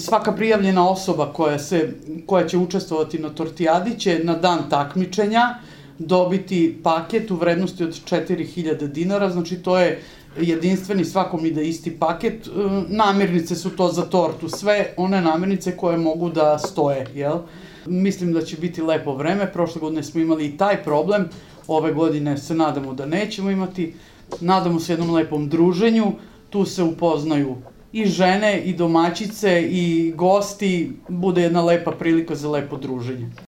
svaka prijavljena osoba koja će učestvovati na tortijadi će na dan takmičenja dobiti paket u vrednosti od 4000 dinara, znači to je jedinstveni, svakom ide isti paket. Namirnice su to za tortu, sve one namirnice koje mogu da stoje, jel? Mislim da će biti lepo vreme, prošle godine smo imali i taj problem, ove godine se nadamo da nećemo imati, nadamo se jednom lepom druženju, tu se upoznaju i žene, i domaćice, i gosti, bude jedna lepa prilika za lepo druženje.